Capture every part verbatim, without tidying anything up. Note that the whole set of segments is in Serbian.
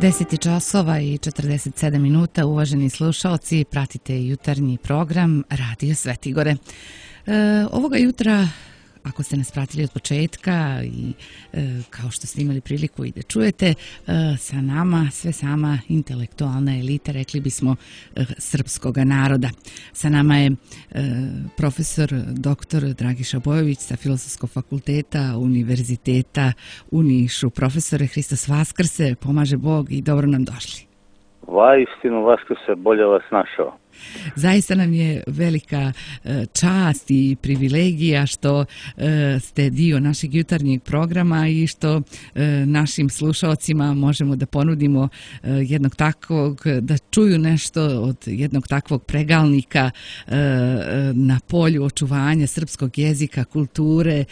deset časova i četrdeset sedam minuta, uvaženi slušalci, pratite jutarnji program Radio Svetigore. E, ovoga jutra, ako ste nas pratili od početka i e, kao što ste imali priliku i da čujete, e, sa nama sve sama intelektualna elita, rekli bismo, e, srpskoga naroda. Sa nama je e, profesor doktor Dragiša Bojović sa Filozofskog fakulteta Univerziteta u Nišu. Profesore, Hristos Vaskrse, pomaže Bog i dobro nam došli. Vaistinu Vaskrse, bolje vas našao. Zaista nam je velika čast i privilegija što ste dio našeg jutarnjeg programa i što našim slušalcima možemo da ponudimo jednog takvog, da čuju nešto od jednog takvog pregalnika na polju očuvanja srpskog jezika, kulture,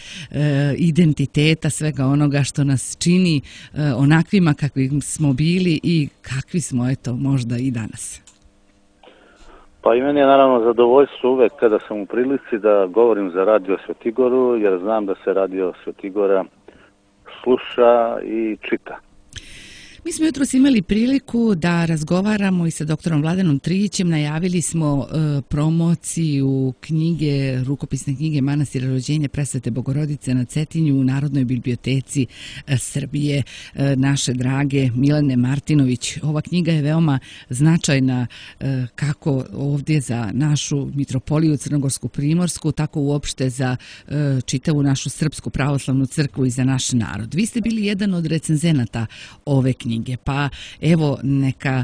identiteta, svega onoga što nas čini onakvima kakvi smo bili i kakvi smo, eto, možda i danas. Pa i meni je naravno zadovoljstvo uvek kada sam u prilici da govorim za Radio Svetigoru, jer znam da se Radio Svetigora sluša i čita. Mi smo jutros imali priliku da razgovaramo i sa doktorom Vladanom Trijićem. Najavili smo e, promociju knjige, rukopisne knjige Manastira rođenja Presvete Bogorodice na Cetinju u Narodnoj biblioteci e, Srbije, e, naše drage Milene Martinović. Ova knjiga je veoma značajna e, kako ovdje za našu mitropoliju Crnogorsku Primorsku, tako uopšte za e, čitavu našu Srpsku pravoslavnu crkvu i za naš narod. Vi ste bili jedan od recenzenata ove knjige. Pa evo neka e,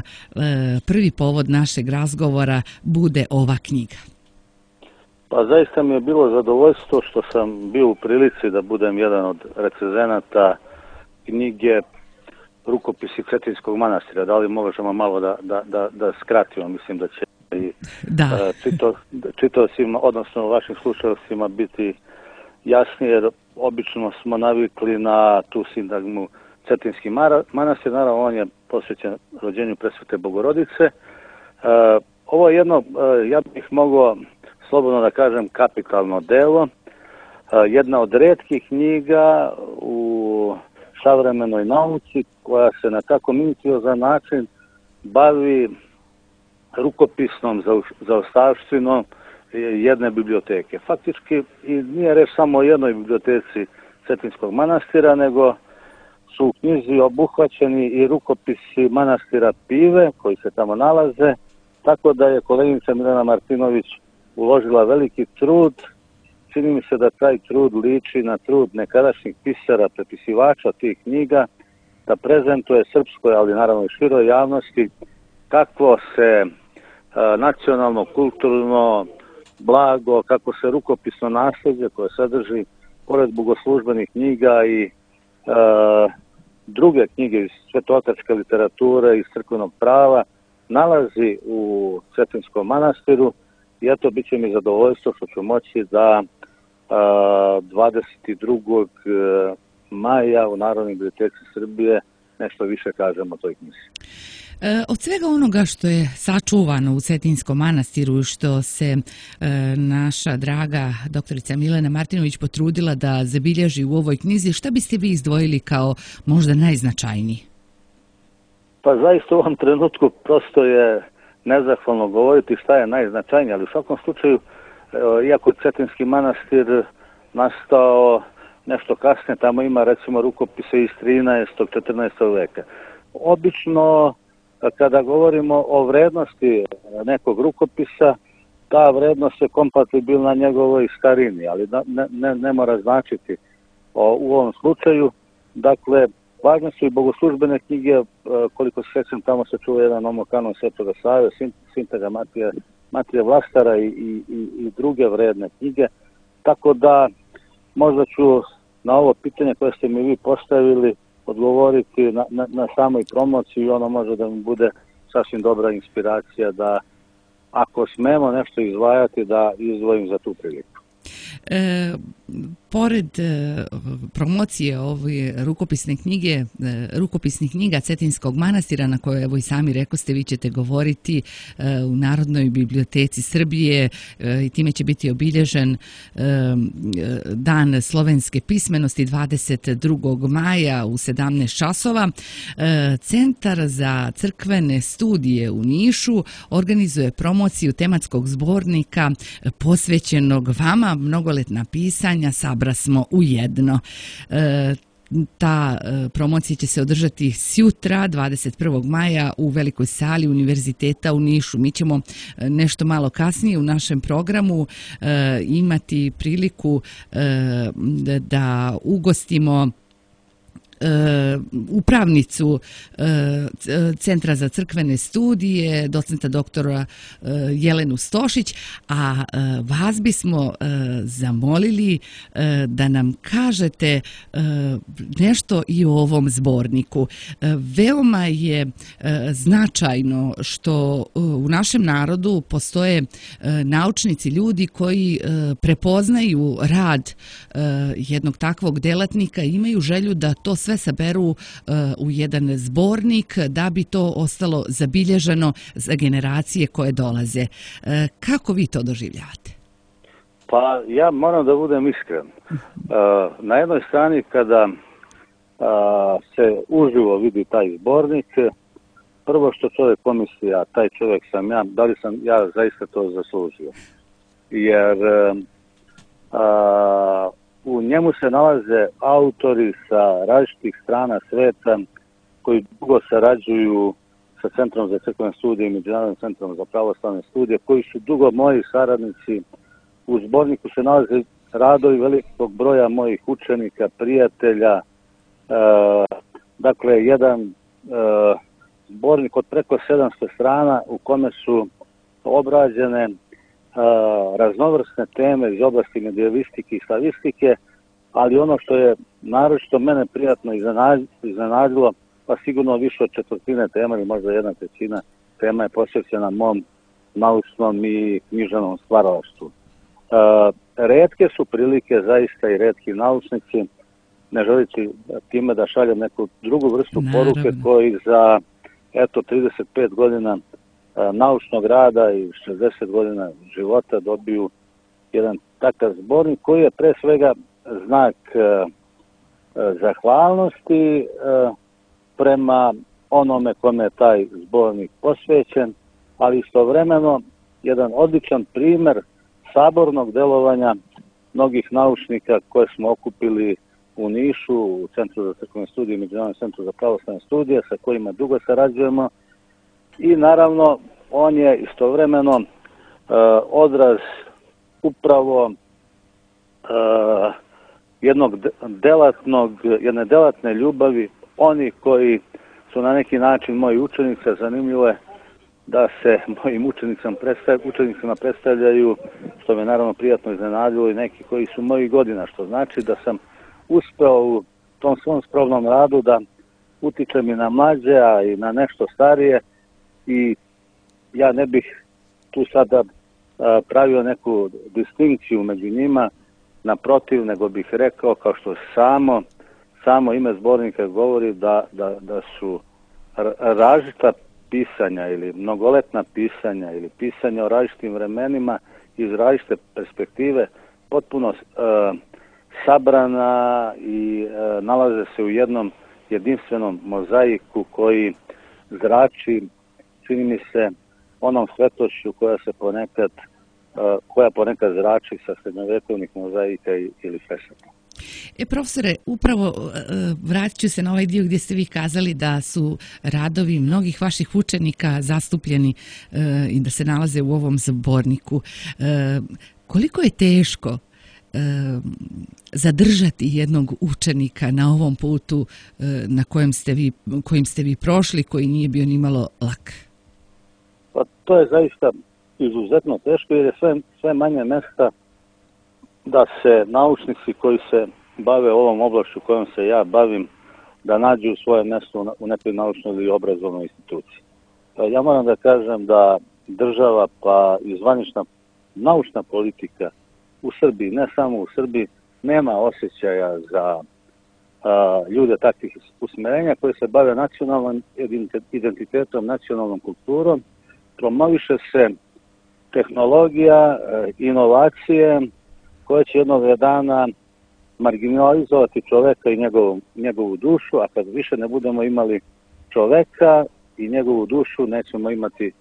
prvi povod našeg razgovora bude ova knjiga. Pa zaista mi je bilo zadovoljstvo što sam bio u prilici da budem jedan od recenzenata knjige Rukopisi Cetinskog manastira. Da li možemo malo da, da, da, da skratimo? Mislim da će i da. čito, čitaocima, odnosno vašim slušalcima biti jasnije, jer obično smo navikli na tu sintagmu Cetinski manastir, naravno on je posvećen rođenju Presvete Bogorodice. E, ovo je jedno, e, ja bih mogao slobodno da kažem, kapitalno delo. E, jedna od retkih knjiga u savremenoj nauci koja se na tako minuciozan način bavi rukopisnom zaostavštinom jedne biblioteke. Faktički i nije reč samo o jednoj biblioteci Cetinskog manastira, nego su u knjizi obuhvaćeni i rukopisi manastira Pive koji se tamo nalaze, tako da je koleginica Milena Martinović uložila veliki trud. Čini mi se da taj trud liči na trud nekadašnjih pisara, prepisivača tih knjiga, da prezentuje srpskoj, ali naravno i široj javnosti, kakvo se a, nacionalno, kulturno blago, kako se rukopisno nasljeđe koje sadrži pored bogoslužbenih knjiga i a, druge knjige iz svetotačke literature i crkvenog prava nalazi u Cetinskom manastiru i eto, bit će mi zadovoljstvo što ću moći da a, dvadeset drugog maja u Narodnoj biblioteci Srbije nešto više kažem o toj knjizi. E, od svega onoga što je sačuvano u Cetinskom manastiru, što se e, naša draga doktorica Milena Martinović potrudila da zabilježi u ovoj knjizi, šta biste vi izdvojili kao možda najznačajniji? Pa zaista u ovom trenutku prosto je nezahvalno govoriti šta je najznačajnije, ali u svakom slučaju, iako Cetinski manastir nastao nešto kasnije, tamo ima recimo rukopise iz trinaestog. četrnaestog veka. Obično kada govorimo o vrednosti nekog rukopisa, ta vrednost je kompatibilna njegovoj starini, ali ne, ne, ne mora značiti o, u ovom slučaju. Dakle, važne su i bogoslužbene knjige, koliko se sjećam, tamo se čuva jedan omokanon Svetoga Save, Sintega Matija, Matija Vlastara i, i, i druge vredne knjige. Tako da možda ću na ovo pitanje koje ste mi vi postavili odgovoriti na, na, na samoj promociji i ono može da mi bude sasvim dobra inspiracija da ako smemo nešto izdvajati da izdvojim za tu priliku. E, pored e, promocije ove rukopisne knjige, e, rukopisnih knjiga Cetinskog manastira, na koje, evo i sami rekoste, vi ćete govoriti e, u Narodnoj biblioteci Srbije e, i time će biti obilježen e, Dan slovenske pismenosti dvadeset drugog maja u sedamnaest časova. E, Centar za crkvene studije u Nišu organizuje promociju tematskog zbornika posvećenog vama, mnogoletna pisanja, sabra smo u jedno. E, ta e, promocija će se održati sjutra, dvadeset prvog maja, u velikoj sali Univerziteta u Nišu. Mi ćemo e, nešto malo kasnije u našem programu e, imati priliku e, da, da ugostimo upravnicu Centra za crkvene studije, docenta doktora Jelenu Stošić, a vas bismo zamolili da nam kažete nešto i o ovom zborniku. Veoma je značajno što u našem narodu postoje naučnici, ljudi koji prepoznaju rad jednog takvog delatnika i imaju želju da to sve saberu uh, u jedan zbornik da bi to ostalo zabilježeno za generacije koje dolaze. Uh, kako vi to doživljavate? Pa ja moram da budem iskren. Uh, na jednoj strani kada uh, se uživo vidi taj zbornik, prvo što čovjek pomisli, a taj čovjek sam ja, da li sam ja zaista to zaslužio. Jer uh, uh, u njemu se nalaze autori sa različitih strana sveta koji dugo sarađuju sa Centrom za crkvene studije i Međunarodnim centrom za pravoslavne studije, koji su dugo moji saradnici. U zborniku se nalaze radovi velikog broja mojih učenika, prijatelja. E, dakle, jedan e, zbornik od preko sedamsto strana u kome su obrađene e, raznovrsne teme iz oblasti medijevistike i slavistike, ali ono što je naročito mene prijatno iznenadilo, pa sigurno više od četvrtine tema ili možda jedna trećina tema je posvećena mom naučnom i književnom stvaralaštvu. E, retke su prilike, zaista i retki naučnici, ne želeći time da šaljem neku drugu vrstu Naravno. poruke, koji za eto trideset pet godina e, naučnog rada i šezdeset godina života dobiju jedan takav zbornik koji je pre svega znak e, e, zahvalnosti e, prema onome kome je taj zbornik posvećen, ali istovremeno jedan odličan primer sabornog delovanja mnogih naučnika koje smo okupili u Nišu, u Centru za crkvene studije i Međunarodnom centru za pravoslavne studije, sa kojima dugo sarađujemo. I naravno, on je istovremeno e, odraz upravo e, jednog delatnog, jedne delatne ljubavi, oni koji su na neki način moji učenici. Zanimljivo je da se mojim učenicama, predstav, učenicima predstavljaju, što me naravno prijatno iznenadilo, i neki koji su mojih godina, što znači da sam uspeo u tom svom skromnom radu da utičem i na mlađe, a i na nešto starije, i ja ne bih tu sada a, pravio neku distinkciju među njima, naprotiv, nego bih rekao, kao što samo, samo ime zbornika govori, da, da, da su različita pisanja ili mnogoletna pisanja ili pisanja o različitim vremenima iz različite perspektive potpuno uh, sabrana i uh, nalaze se u jednom jedinstvenom mozaiku koji zrači, čini mi se, onom svetošću koja se ponekad uh, koja ponekad zrači sa srednjovekovnih mozaika ili fresaka. E, profesore, upravo vratit ću se na ovaj dio gdje ste vi kazali da su radovi mnogih vaših učenika zastupljeni e, i da se nalaze u ovom zborniku. E, koliko je teško e, zadržati jednog učenika na ovom putu e, na kojem ste vi, kojim ste vi prošli, koji nije bio ni malo lak? Pa to je zaista izuzetno teško, jer je sve, sve manje mjesta da se naučnici koji se bave ovom oblašću kojom se ja bavim, da nađu svoje mjesto u nekoj naučnoj ili obrazovnoj instituciji. Ja moram da kažem da država, pa i zvanična naučna politika u Srbiji, ne samo u Srbiji, nema osjećaja za a, ljude takvih usmerenja koji se bave nacionalnim identitetom, nacionalnom kulturom. Promoviše se tehnologija, inovacije koje će jednog dana marginalizovati čoveka i njegovu, njegovu dušu, a kad više ne budemo imali čoveka i njegovu dušu, nećemo imati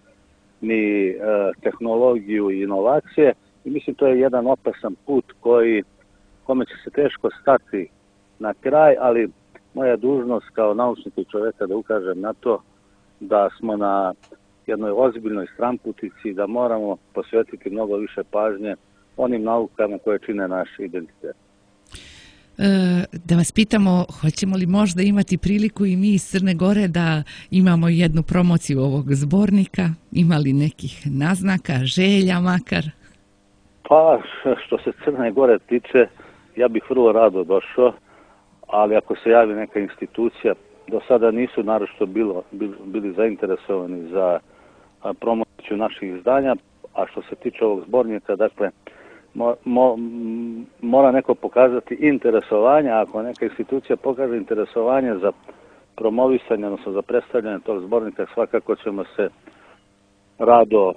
ni e, tehnologiju i inovacije. I mislim to je jedan opasan put koji, kome će se teško stati na kraj, ali moja dužnost kao naučnika i čoveka da ukažem na to da smo na jednoj ozbiljnoj stramputici, da moramo posvetiti mnogo više pažnje onim naukama koje čine naš identitet. Da vas pitamo, hoćemo li možda imati priliku i mi iz Crne Gore da imamo jednu promociju ovog zbornika? Ima li nekih naznaka, želja makar? Pa, što se Crne Gore tiče, ja bih vrlo rado došao, ali ako se javi neka institucija, do sada nisu naročito bilo, bili zainteresovani za promociju naših izdanja, a što se tiče ovog zbornika, dakle, Mo, mo, mora neko pokazati interesovanje, a ako neka institucija pokaže interesovanje za promovisanje, odnosno za predstavljanje tog zbornika, svakako ćemo se rado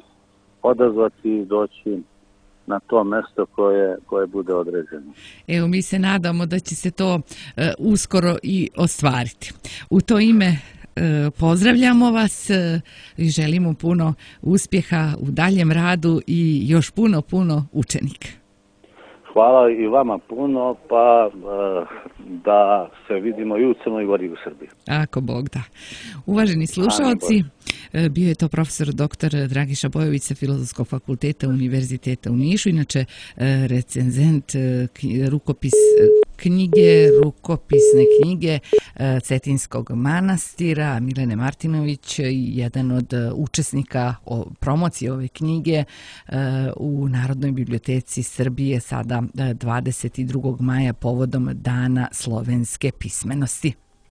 odazvati i doći na to mesto koje, koje bude određeno. Evo, mi se nadamo da će se to uh, uskoro i ostvariti. U to ime uh, pozdravljamo vas i uh, želimo puno uspjeha u daljem radu i još puno, puno učenika. Hvala i vama puno, pa uh, da se vidimo i u Crnoj Gori i u Srbiji. Ako Bog da. Uvaženi slušalci, bio je to profesor doktor Dragiša Bojović sa Filozofskog fakulteta Univerziteta u Nišu, inače recenzent rukopis knjige, rukopisne knjige Cetinskog manastira, Milene Martinović, jedan od učesnika promocije ove knjige u Narodnoj biblioteci Srbije sada dvadeset drugog maja povodom Dana slovenske pismenosti.